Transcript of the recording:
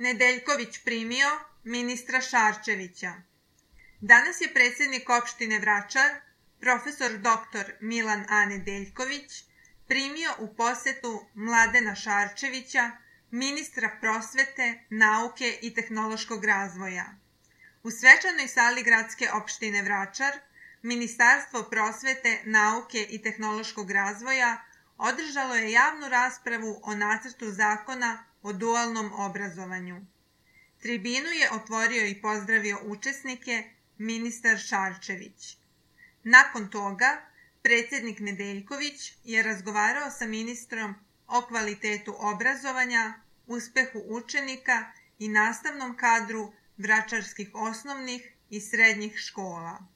Nedeljković primio ministra Šarčevića. Danas je predsjednik opštine Vračar, profesor dr. Milan A. Nedeljković, primio u posetu Mladena Šarčevića, ministra prosvete, nauke i tehnološkog razvoja. U svečanoj sali gradske opštine Vračar, Ministarstvo prosvete, nauke i tehnološkog razvoja održalo je javnu raspravu o nacrtu zakona o dualnom obrazovanju. Tribinu je otvorio i pozdravio učesnike ministar Šarčević. Nakon toga, predsjednik Nedeljković je razgovarao sa ministrom o kvalitetu obrazovanja, uspehu učenika i nastavnom kadru vračarskih osnovnih i srednjih škola.